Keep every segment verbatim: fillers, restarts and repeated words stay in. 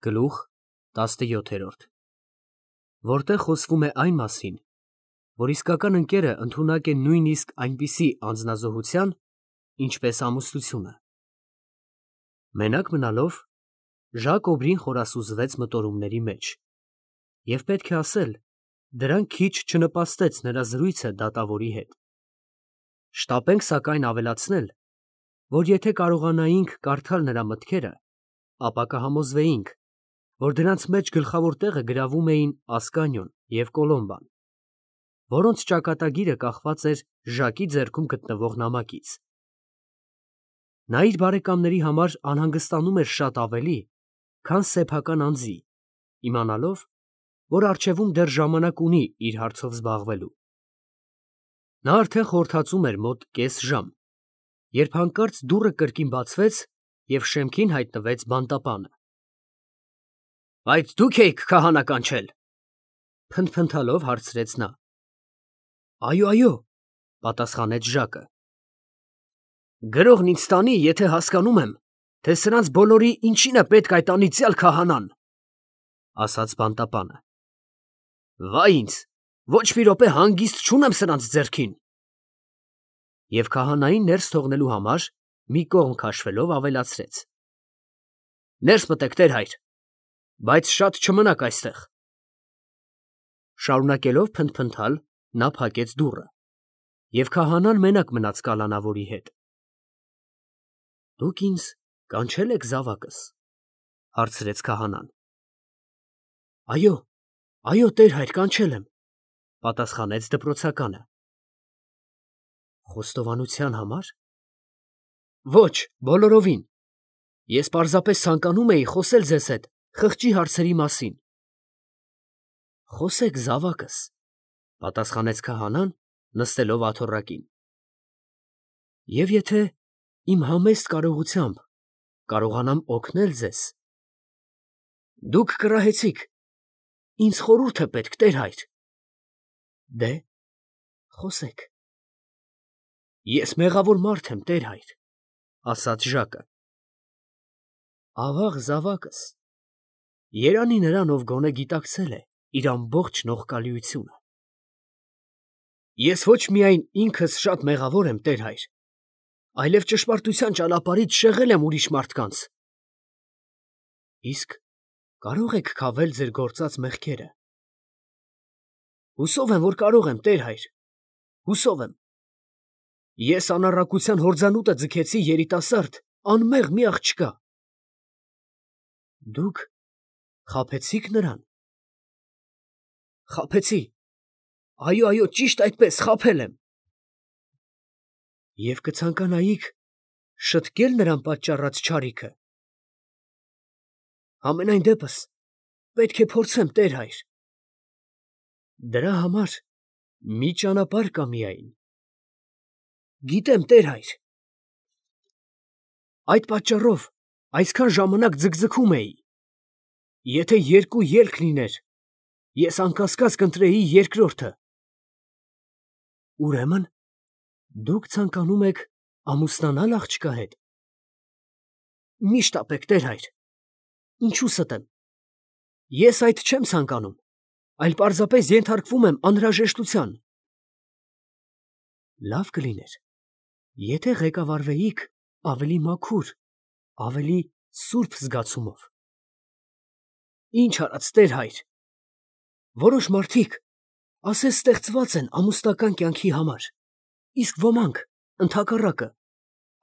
Գլուխ տասնյոթ, որտեղ խոսվում է այն մասին, որ իսկական ընկերը ընդունակ է նույնիսկ այնպիսի անձնազոհության, ինչպես ամուսնությունը։ Մենակ մնալով, Ժակ Օբրին խորասուզվեց մտորումների մեջ, և պետք է ասել, դրան քիչ չնպաստեց նրա զրույցը դատավորի հետ։ Շտապենք սակայն ավելացնել, որ եթե կարողանայինք կարդալ նրա մտքերը, ապա կհամոզվեինք, որ դրանց մեջ գլխավոր տեղը գրավում էին Ասկանիոն և Կոլոմբան, որոնց ճակատագիրը կախված էր Ժակի ձեռքում գտնվող նամակից։ Նա իր բարեկամների համար անհանգստանում էր շատ ավելի, քան սեփական անձի, իմանալով, որ առջևում դեռ ժամանակ ունի իր հարցով զբաղվելու։ Նա արդեն խորհրդածում էր մոտ կես ժամ, երբ հանկարծ դուռը կրկին բացվեց և շեմքին հայտնվեց բանտապանը։ ֊ Այդ դու՞ք էիք քահանա կանչել, ֊ փնթփնթալով հարցրեց նա։ ֊ Այո, այո, ֊ պատասխանեց Ժակը։ ֊ Գրողն ինձ տանի, եթե հասկանում եմ, թե սրանց բոլորի ինչին է պետք այդ անիծյալ քահանան, ֊ ասաց բանտապանը։ ֊ Վա ինձ, ոչ մի րոպե հանգիստ չունեմ սրանց ձեռքին։ Եվ քահանային ներս թողնելու համար մի կողմ քաշվելով ավելացրեց. ֊ Ներս մտեք, տեր֊հայր, բայց շատ չմնաք այստեղ։ Շարունակելով փնթփնթալ, նա փակեց դուռը, և քահանան մենակ մնաց կալանավորի հետ։ ֊ Դուք ինձ կանչե՞լ եք զավակս, ֊ հարցրեց քահանան։ ֊ Այո, այո, տեր֊հայր, կանչել եմ, ֊ պատասխանեց դպրոցականը։ ֊ Խոստովանության համար։ ֊ Ոչ, բոլորովին. ես պարզապես ցանկանում էի խոսել ձեզ հետ խղճի հարցերի մասին։ ֊ Խոսեք, զավակս, ֊ պատասխանեց քահանան, նստելով աթոռակին։ ֊ Եվ եթե իմ համեստ կարողությամբ կարողանամ օգնել ձեզ։ ֊ Դուք կռահեցիք, ինձ խորհուրդ է պետք, տեր֊հայր։ ֊ Դե, խոսեք։ ֊ Ես մեղավոր մարդ եմ, տեր֊հայր, ֊ ասաց Ժակը։ ֊ Ավաղ, զավակս, երանի նրան, ով գոնե գիտակցել է իր ամբողջ նողկալիությունը։ ֊ Ես ոչ միայն ինքս շատ մեղավոր եմ, տեր֊հայր, այլև ճշմարտության ճանապարհից շեղել եմ ուրիշ մարդկանց։ ֊ Իսկ կարո՞ղ եք քավել ձեր գործած մեղքերը։ ֊ Հուսով եմ, որ կարող եմ, տեր֊հայր, հուսով եմ։ Ես անառակության հորձանուտը ձգեցի երիտասարդ, անմեղ մի աղջկա։ ֊ Դուք խաբեցի՞ք նրան։ ֊ Խաբեցի, այո, այո, ճիշտ այդպես, խաբել եմ։ ֊ Եվ կցանկանայիք շտկե՞լ նրան պատճառած չարիքը։ ֊ Համենայն դեպս պետք է փորձեմ, տեր֊հայր։ ֊ Դրա համար մի ճանապարհ կա միայն։ ֊ Գիտեմ, տեր֊հայր։ ֊ Այդ պատճառով այսքան ժամանակ ձգձգում էի. եթե երկու ելք լիներ, ես անկասկած կընտրեի երկրորդը։ ֊ Ուրեմն դուք ցանկանում եք ամուսնանալ աղջկա հետ։ ֊ Մի շտապեք, տեր֊հայր, ինչու ստեմ. ես այդ չեմ ցանկանում, այլ պարզապես ենթարկվում եմ անհրաժեշտության։ ֊ Լավ կլիներ, եթե ղեկավարվեիք ավելի մաքուր, ավելի սուրբ զգացումով։ ֊ Ինչ արած, տեր֊հայր, որոշ մարդիկ ասես ստեղծված են ամուսնական կյանքի համար, իսկ ոմանք, ընդհակառակը,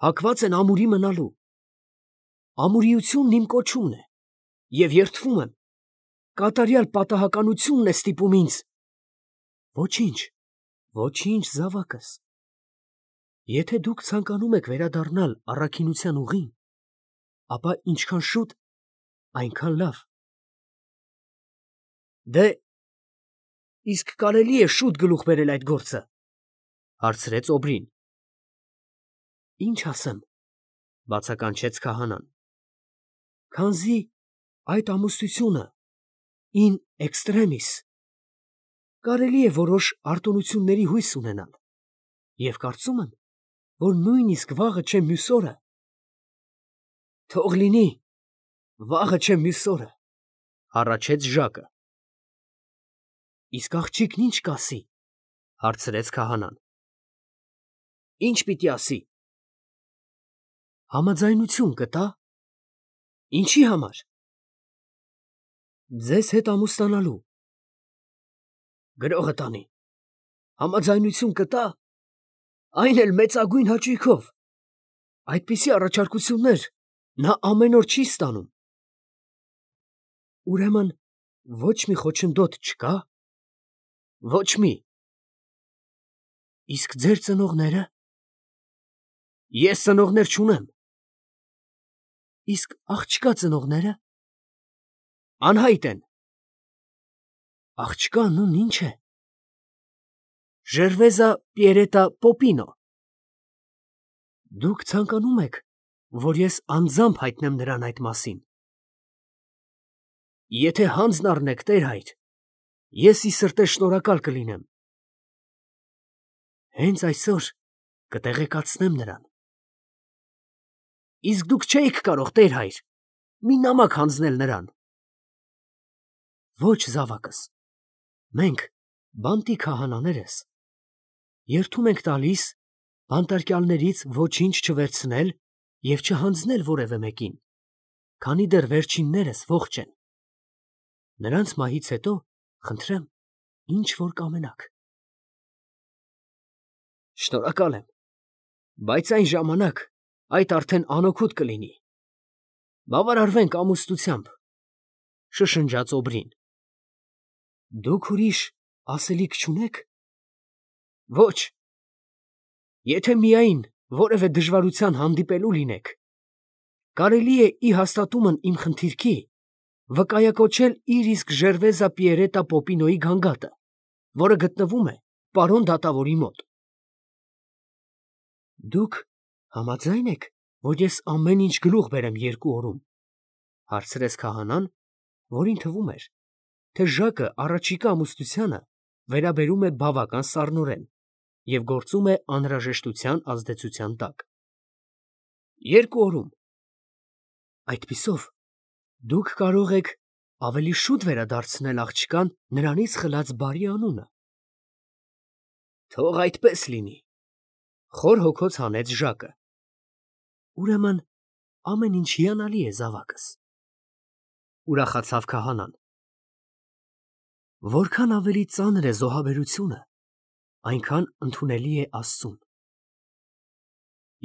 հակված են ամուրի մնալու։ Ամուրիությունն իմ կոչումն է, և երդվում եմ, կատարյալ պատահականությունն է ստիպում ինձ։ ֊ Ոչինչ, ոչինչ, զավակս, եթե դուք ցանկանում եք վերադառնալ առաքինության ուղին, ապա ինչքան շուտ, այնքան լավ։ ֊ Դե, իսկ կարելի՞ է շուտ գլուխ բերել այդ գործը, ֊ հարցրեց Օբրին։ ֊ Ինչ ասեմ, ֊ բացականչեց քահանան, ֊ քանզի այդ ամուսնությունը in extremis կարելի է որոշ արտոնությունների հույս ունենալ, և կարծում եմ, որ նույնիսկ վաղը չէ մյուս օրը։ ֊ Թող լինի, վաղը չէ մյուս օրը, ֊ Հառաչեց Ժակը։ Իսկ աղջիկն ինչ կասի, հարցրեց քահանան։ Ինչ պիտի ասի։ Համաձայնություն կտա։ Ինչի համար։ Ձեզ հետ ամուսնանալու։ Գրողը տանի։ Համաձայնություն կտա, այն էլ մեծագույն հաճույքով։ Այդպիսի առաջարկություններ նա ամեն օր չի ստանում։ Ուրեմն ոչ մի խոչընդոտ չկա։ Ոչ մի։ Իսկ ձեր ծնողները։ Ես ծնողներ չունեմ։ Իսկ աղջկա ծնողները։ Անհայտ են։ Աղջկա անունն ինչ է։ Ժերվեզա Պիերետա Պոպինո։ Դուք ցանկանում եք, որ ես անձամբ հայտնեմ նրան այդ մասին։ Եթե հանձն առնեք, տեր-հայր, ես ի սրտե շնորհակալ կլինեմ։ Հենց այսօր կտեղեկացնեմ նրան։ Իսկ դուք չէիք կարող, տեր-հայր, մի նամակ հանձնել նրան։ Ոչ, զավակս, մենք, բանտի քահանաներս, երդում ենք տալիս բանտարկյալներից ոչինչ չվերցնել և չհանձնել որևէ մեկին, քանի դեռ վերջիններս ողջ են։ Նրանց մահից հետո, խնդրեմ, ինչ որ կամենաք։ Շնորհակալ եմ, բայց այն ժամանակ այդ արդեն անօգուտ կլինի։ Բավարարվենք ամուսնությամբ, շշնջաց Օբրին։ Դուք ուրիշ ասելիք չունեք։ Ոչ, եթե միայն որևէ դժվարության հանդիպելու լինեք, կարելի է ի հաստատումն իմ խնդիրքի վկայակոչել իր իսկ Ժերվեզա Պիերետա Պոպինոյի գանգատը, որը գտնվում է պարոն դատավորի մոտ։ Դուք համաձայն եք, որ ես ամեն ինչ գլուխ բերեմ երկու օրում, հարցրեց քահանան, որին թվում էր, թե Ժակը առաջիկա ամուսնությանը վերաբերում է բավական սառնորեն և գործում է անհրաժեշտության ազդեցության տակ։ Երկու օրում։ Այդպիսով դուք կարող եք ավելի շուտ վերադարձնել աղջկան նրանից խլած բարի անունը։ Թող այդպես լինի, խոր հոգոց հանեց Ժակը։ Ուրեմն ամեն ինչ հիանալի է, զավակս, ուրախացավ քահանան։ Որքան ավելի ծանր է զոհաբերությունը, այնքան ընդունելի է Աստծուն։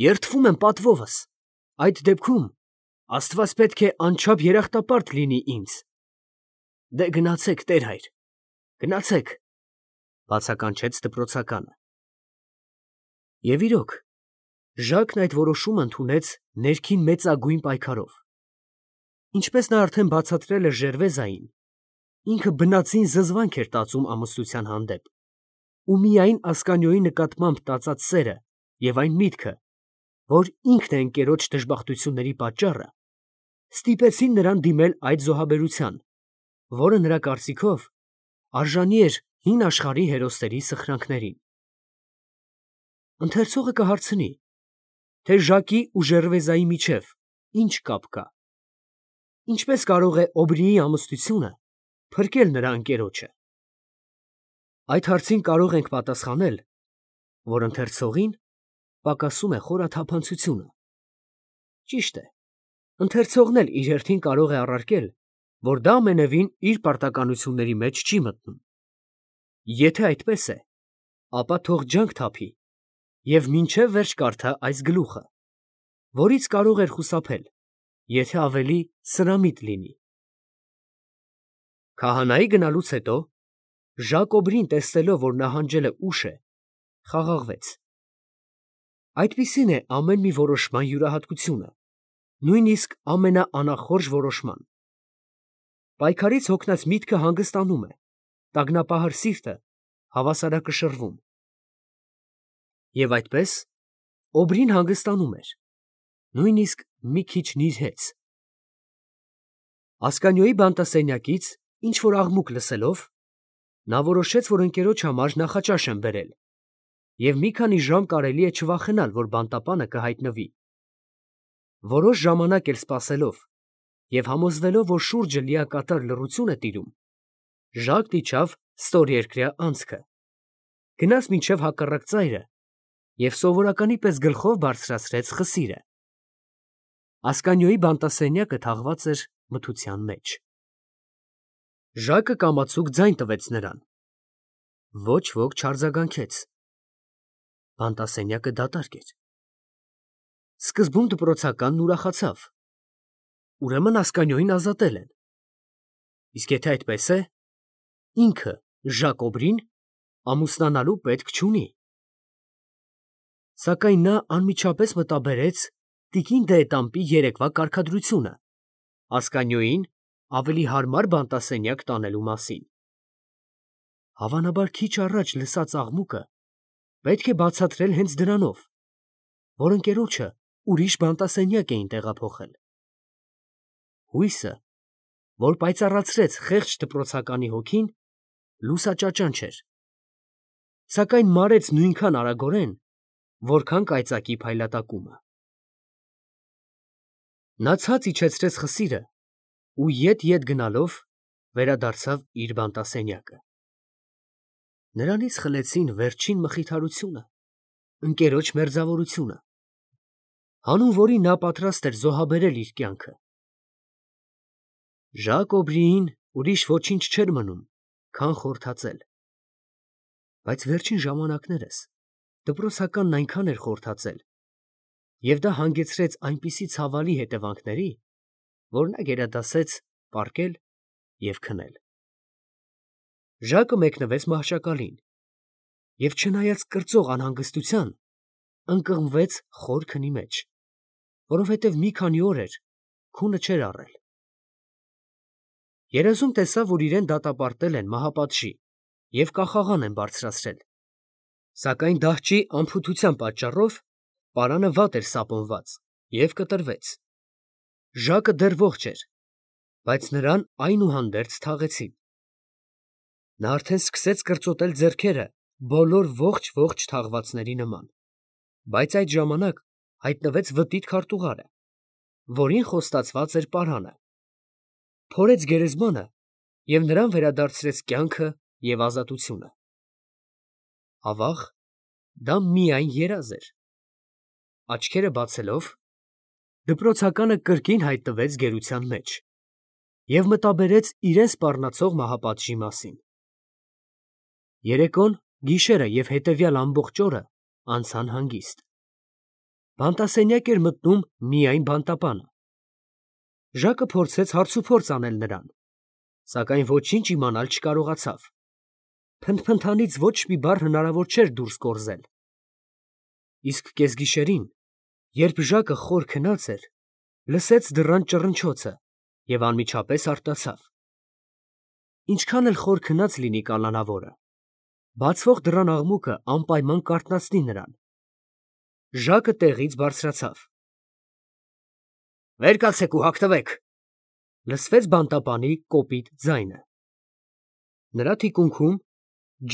Երդվում եմ պատվովս, այդ դեպքում Աստված պետք է անչափ երախտապարտ լինի ինձ։ Դե գնացեք, տեր-հայր, գնացեք, բացականչեց դպրոցականը։ Եվ իրոք, Ժակն այդ որոշումը ընդունեց ներքին մեծագույն պայքարով։ Ինչպես նա արդեն բացատրել էր Ժերվեզային, ինքը բնածին զզվանք էր տածում ամուսնության հանդեպ, ու միայն Ասկանիոյի նկատմամբ տածած սերը և այն միտքը, որ ինքն է ընկերոջ դժբախտությունների պատճառը, ստիպեցին նրան դիմել այդ զոհաբերության, որը նրա կարծիքով արժանի էր հին աշխարհի հերոսների սխրանքներին։ Ընթերցողը կհարցնի, թե Ժակի ու Ժերվեզայի միջև ինչ կապ կա։ Ինչպես կարող է Օբրիի ամուսնությունը փրկել նրա ընկերոջը։ Այդ հարցին կարող ենք պատասխանել, որ ընթերցողին պակասում է խորաթափանցությունը։ Ճիշտ է, ընթերցողն էլ իր հերթին կարող է առարկել, որ դա ամենևին իր պարտականությունների մեջ չի մտնում։ Եթե այդպես է, ապա թող ջանք թափի և մինչև վերջ կարդա այս գլուխը, որից կարող էր խուսափել, եթե ավելի սրամիտ լինի։ Քահանայի գնալուց հետո Ժակ Օբրին, տեսնելով, որ նահանջելը ուշ է, խաղաղվեց։ Այդպիսին է ամեն մի որոշման յուրահատկությունը, նույնիսկ ամենաանախորժ որոշման։ Պայքարից հոգնած միտքը հանգստանում է, տագնապահար սիրտը հավասարակշռվում։ Եվ այդպես Օբրին հանգստանում էր, նույնիսկ մի քիչ նիրհեց։ Ասկանիոյի բանտասենյակից ինչ-որ աղմուկ լսելով, նա որոշեց, որ ընկերոջ համար նախաճաշ են բերել, և մի քանի ժամ կարելի է չվախենալ, որ բանտապանը կհայտնվի։ Որոշ ժամանակ էլ սպասելով, և համոզվելով, որ շուրջը լիակատար լռություն է տիրում, Ժակն իջավ ստորերկրյա անցքը, գնաց մինչև հակառակ ծայրը և սովորականի պես գլխով բարձրացրեց խսիրը։ Ասկանյոյի բանտասենյակը թաղված էր մթության մեջ։ Ժակը կամացուկ ձայն տվեց նրան։ Ոչ ոք չարձագանքեց։ Բանտասենյակը դատարկ էր։ Սկզբում դպրոցականն ուրախացավ. ուրեմն Ասկանյոյին ազատել են։ Իսկ եթե այդպես է, ինքը Ժակ Օբրին ամուսնանալու պետք չունի։ Սակայն նա անմիջապես մտաբերեց տիկին դ'Ետամպի երեկվա կարգադրությունը Ասկանյոյին ավելի հարմար բանտասենյակ տանելու մասին։ Հավանաբար քիչ առաջ լսած աղմուկը պետք է բացատրել հենց դրանով, որ ընկերոջը ուրիշ բանտասենյակ էին տեղափոխել։ Հույսը, որ պայծառացրեց խեղճ դպրոցականի հոգին, լուսաճաճանչ էր, սակայն մարեց նույնքան արագորեն, որքան կայծակի փայլատակումը։ Նա ցած իջեցրեց խսիրը ու ետ֊ետ գնալով վերադարձավ իր բանտասենյակը։ Նրանից խլեցին վերջին մխիթարությունը, ընկերոջ մերձավորությունը, հանուն որի նա պատրաստ էր զոհաբերել իր կյանքը։ Ժակ Օբրիին ուրիշ ոչինչ չէր մնում, քան խորթածել։ Բայց վերջին ժամանակներս դպրոցականն այնքան էր խորթածել, և դա հանգեցրեց այնպիսի ցավալի հետևանքների, որ նա գերադասեց պառկել և քնել։ Ժակը մեկնվեց մահճակալին և, չնայած կրծող անհանգստության, ընկղմվեց խոր քնի մեջ, որովհետև մի քանի օր էր քունը չէր առել։ Երազում տեսավ, որ իրան դատապարտել են մահապատժի և կախաղան են բարձրացրել, սակայն դահճի անփութության պատճառով պարանը վատ էր սապոնված և կտրվեց։ Ժակը դեռ ողջ էր, բայց նրան այնուհանդերձ թաղեցին։ Նա արդեն սկսեց կրծոտել ձեռքերը բոլոր ողջ֊ողջ թաղվածների նման, բայց այդ ժամանակ հայտնվեց վտիտ քարտուղարը, որին խոստացված էր պարանը, փորեց գերեզմանը և նրան վերադարձրեց կյանքը և ազատությունը։ Ավաղ, դա միայն երազ էր։ Աչքերը բացելով, դպրոցականը կրկին հայտնվեց գերության մեջ և մտաբերեց իրան սպառնացող մահապատժի մասին։ Երեկոն, գիշերը և հետևյալ ամբողջ օրը անցան հանգիստ։ Բանտասենյակ էր մտնում միայն բանտապանը։ Ժակը փորձեց հարցուփորձ անել նրան, սակայն ոչինչ իմանալ չկարողացավ։ Փնթփնթանից ոչ մի բառ հնարավոր չէր դուրս կորզել։ Իսկ կեսգիշերին, երբ Ժակը խոր քնած էր, լսեց դռան ճռնչոցը և անմիջապես արտասավ։ Ինչքան էլ խոր քնած լինի կալանավորը, բացվող դռան աղմուկը անպայման կարթնացնի նրան։ Ժակը տեղից բարձրացավ։ «Վեր կացեք ու հագնվեք», ֊ լսվեց բանտապանի կոպիտ ձայնը։ Նրա թիկունքում,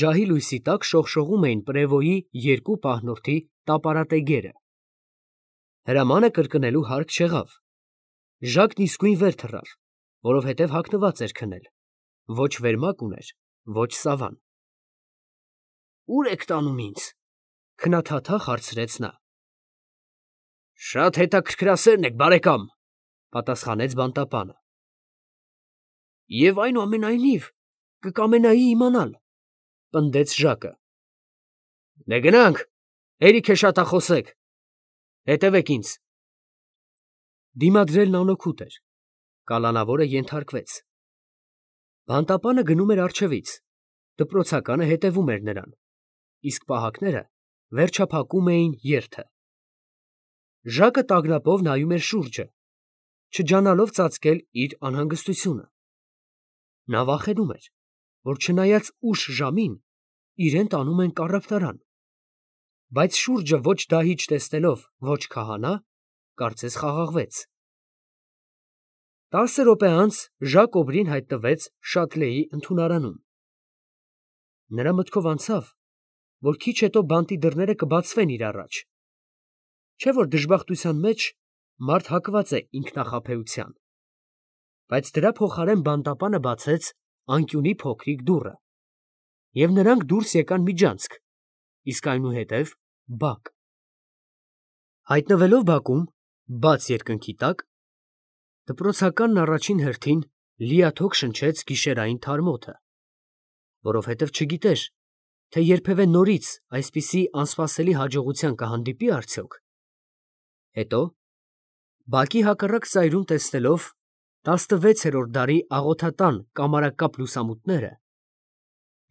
ջահի լույսի տակ շողշողում էին պրևոյի երկու պահնորդի տապարատեգերը։ Հրամանը կրկնելու հարկ չեղավ։ Ժակն իսկույն վեր թռավ, որովհետև հագնված էր քնել, ոչ վերմակ ուներ, ոչ սավան։ «Ո՞ւր եք տանում ինձ», ֊ քնաթաթախ հարցրեց նա։ «Շատ հետաքրքրասերն եք, բարեկամ», ֊ պատասխանեց բանտապանը։ «Եվ այնուամենայնիվ կկամենայի իմանալ», ֊ պնդեց Ժակը։ «Դե գնանք, հերիք է շատախոսեք, հետևեք ինձ»։ Դիմադրելն անօգուտ էր։ Կալանավորը ենթարկվեց։ Բանտապանը գնում էր առջևից, դպրոցականը հետևում էր նրան, իսկ պահակները վերջափակում էին երթը։ Ժակը տագնապով նայում էր շուրջը, չջանալով ծածկել իր անհանգստությունը։ Նա վախենում էր, որ չնայած ուշ ժամին, իրան տանում են կառավարան, բայց շուրջը ոչ դահիճ տեսնելով, ոչ քահանա, կարծես խաղաղվեց։ Տասը րոպե անց Ժակ Օբրին հայտնվեց Շատլեի ընդունարանում։ Նրա մտքով անցավ, որ քիչ հետո բանտի դռները կբացվեն իր առաջ, չէ՞ որ դժբախտության մեջ մարդ հակված է ինքնախաբեության։ բայց դրա փոխարեն բանտապանը բացեց անկյունի փոքրիկ դուռը, և նրանք դուրս եկան միջանցք, իսկ այնուհետև բակ։ Հայտնվելով բակում, բաց երկնքի տակ, դպրոցականն առաջին հերթին լիաթոք շնչեց գիշերային թարմ օդը, որովհետև չգիտեր, թե երբևէ նորից այսպիսի անսպասելի հաջողության կհանդիպի արդյոք։ Հետո, բակի հակառակ ծայրում տեսնելով տասնվեցերորդ դարի աղոթատան կամարակապ լուսամուտները,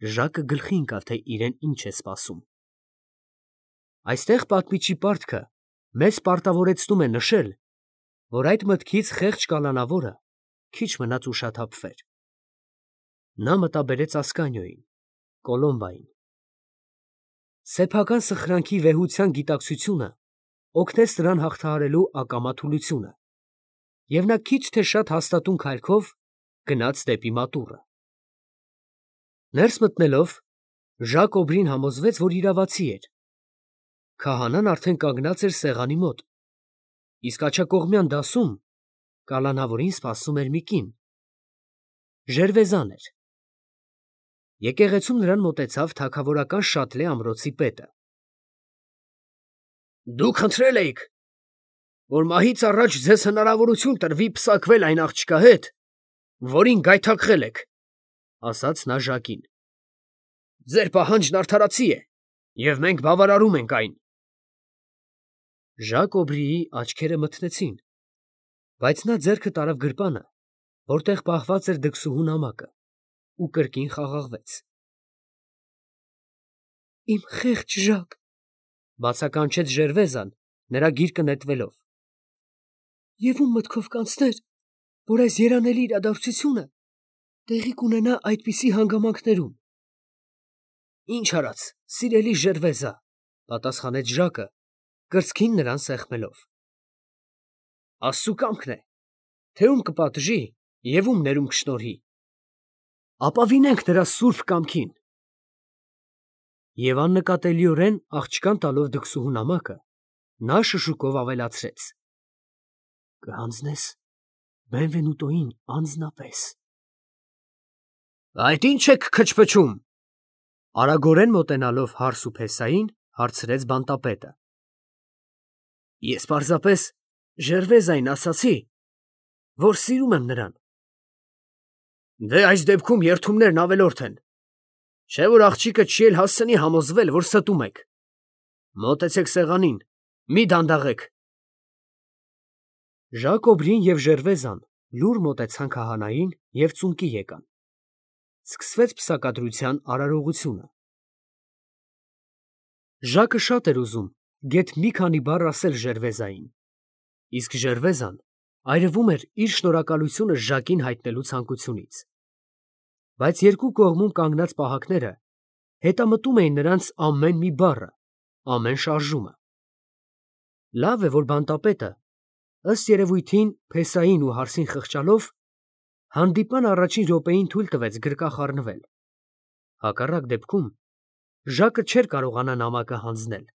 Ժակը գլխի ընկավ, թե իրեն ինչ է սպասում։ Այստեղ պատմիչի պարտքը մեզ պարտավորեցնում է նշել, որ այդ մտքից խեղճ կալանավորը քիչ մնաց ուշաթափվեր։ Նա մտաբերեց Ասկանիոյին, Կոլոմբային։ Սեփական սխրանքի վեհության գիտակցությունը օգնեց նրան հաղթահարելու ակամա թուլությունը, և նա քիչ թե շատ հաստատուն քայլքով գնաց դեպի մատուռը։ Ներս մտնելով, Ժակ Օբրին համոզվեց, որ իրավացի էր։ Քահանան արդեն կանգնած էր սեղանի մոտ, իսկ աջակողմյան դասում կալանավորին սպասում էր մի կին։ Ժերվեզան էր։ Եկեղեցում նրան մոտեցավ թագավորական Շատլե ամրոցի պետը։ Դուք խնդրել էիք, որ մահից առաջ ձեզ հնարավորություն տրվի պսակվել այն աղջկա հետ, որին գայթակղել եք, ասաց նա Ժակին։ Ձեր պահանջն արդարացի է, և մենք բավարարում ենք այն։ Ժակ Օբրիի աչքերը մթնեցին, բայց նա ձեռքը տարավ գրպանը, որտեղ պահված էր դքսուհու նամակը, ու կրկին խաղաղվեց։ Իմ խեղճ Ժակ, բացականչեց Ժերվեզան, նրա գիրկը նետվելով։ Եվ ում մտքով կանցներ, որ այս երանելի իրադարձությունը տեղի կունենա այդպիսի հանգամանքներում։ Ինչ արած, սիրելի Ժերվեզա, պատասխանեց Ժակը, կրծքին նրան սեղմելով։ Աստծու կամքն է, թե ում կպատժի և ում ներում կշնորհի։ Ապավինենք նրա սուրբ կամքին։ Եվ աննկատելիորեն աղջկան տալով դքսուհու նամակը, նա շշուկով ավելացրեց. Կհանձնես Բենվենուտոյին անձնապես։ Այդ ի՞նչ եք քչփչում, արագորեն մոտենալով Հարսուփեսային, հարցրեց բանտապետը։ Ես պարզապես Ժերվեզային ասացի, որ սիրում եմ նրան։ Դե այս դեպքում երդումներն ավելորդ են, չէ՞ որ աղջիկը չի էլ հասցնի համոզվել, որ ստում եք։ Մոտեցեք սեղանին, մի դանդաղեք։ Ժակ Օբրին և Ժերվեզան լուռ մոտեցան քահանային և ծունկի եկան։ Սկսվեց պսակադրության արարողությունը։ Ժակը շատ էր ուզում գեթ մի քանի բառ ասել Ժերվեզային, իսկ Ժերվեզան այրվում էր իր շնորհակալությունը Ժակին հայտնելու ցանկությունից։ Բայց երկու կողմում կանգնած պահակները հետամտում էին նրանց ամեն մի բառը, ամեն շարժումը։ Լավ է, որ բանտապետը, ըստ երևույթին փեսային ու հարսին խղճալով, հանդիպման առաջին րոպեին թույլ տվեց գրկախ առնվել։ Հակառակ դեպքում Ժակը չէր կարողանա նամակը հանձնել,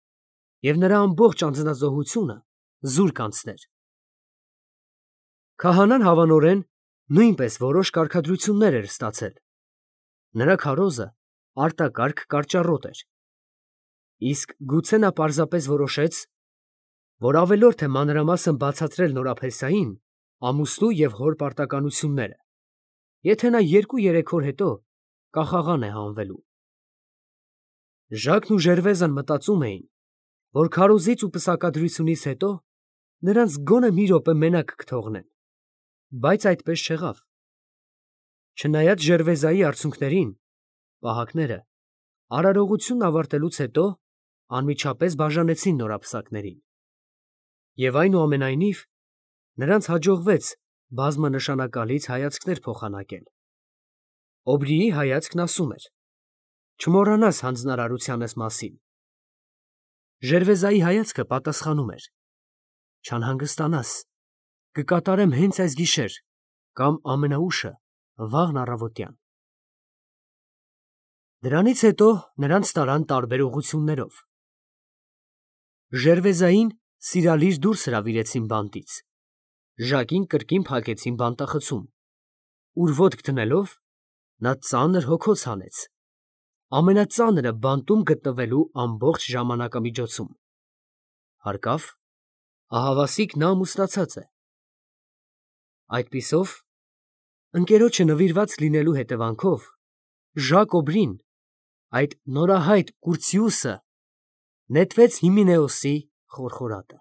և նրա ամբողջ անձնազոհությունը զուր կանցներ։ Քահանան հավանորեն նույնպես որոշ կարգադրություններ էր ստացել։ Նրա քարոզը արտակարգ կարճառոտ էր։ Իսկ գուցե նա պարզապես որոշեց, որ ավելորդ է մանրամասն բացատրել նորապեսային ամուսնու և հոր պարտականությունները, եթե նա երկու֊երեք օր հետո կախաղան է հանվելու։ Ժակն ու Ժերվեզան մտածում էին, որ քարոզից ու պսակադրությունից հետո նրանց գոնե մի րոպե մենակ կթողնեն, բայց այդպես չեղավ։ Չնայած Ժերվեզայի արցունքներին, պահակները, արարողությունն ավարտելուց հետո անմիջապես բաժանեցին նորապսակներին։ Եվ այնուամենայնիվ նրանց հաջողվեց բազմանշանակալից հայացքներ փոխանակել։ Օբրիի հայացքն ասում էր. չմոռանաս հանձնարարությանս մասին։ Ժերվեզայի հայացքը պատասխանում էր. չանհանգստանաս, կկատարեմ հենց այս գիշեր կամ ամենաուշը վաղն առավոտյան։ Դրանից հետո նրանց տարան տարբեր ուղղություններով։ Ժերվեզային սիրալիր դուրս հրավիրեցին բանտից, Ժակին կրկին փակեցին բանտախցում, ուր ոտք դնելով նա ծանր հոգոց հանեց, ամենածանրը բանտում գտնվելու ամբողջ ժամանակամիջոցում, հարկավ, ահավասիկ նա ամուսնացած է։ Այդպիսով, ընկերոջը նվիրված լինելու հետևանքով, Ժակոբրին, այդ նորահայտ Կուրցիուսը, նետվեց Հիմինեոսի խորխորատը։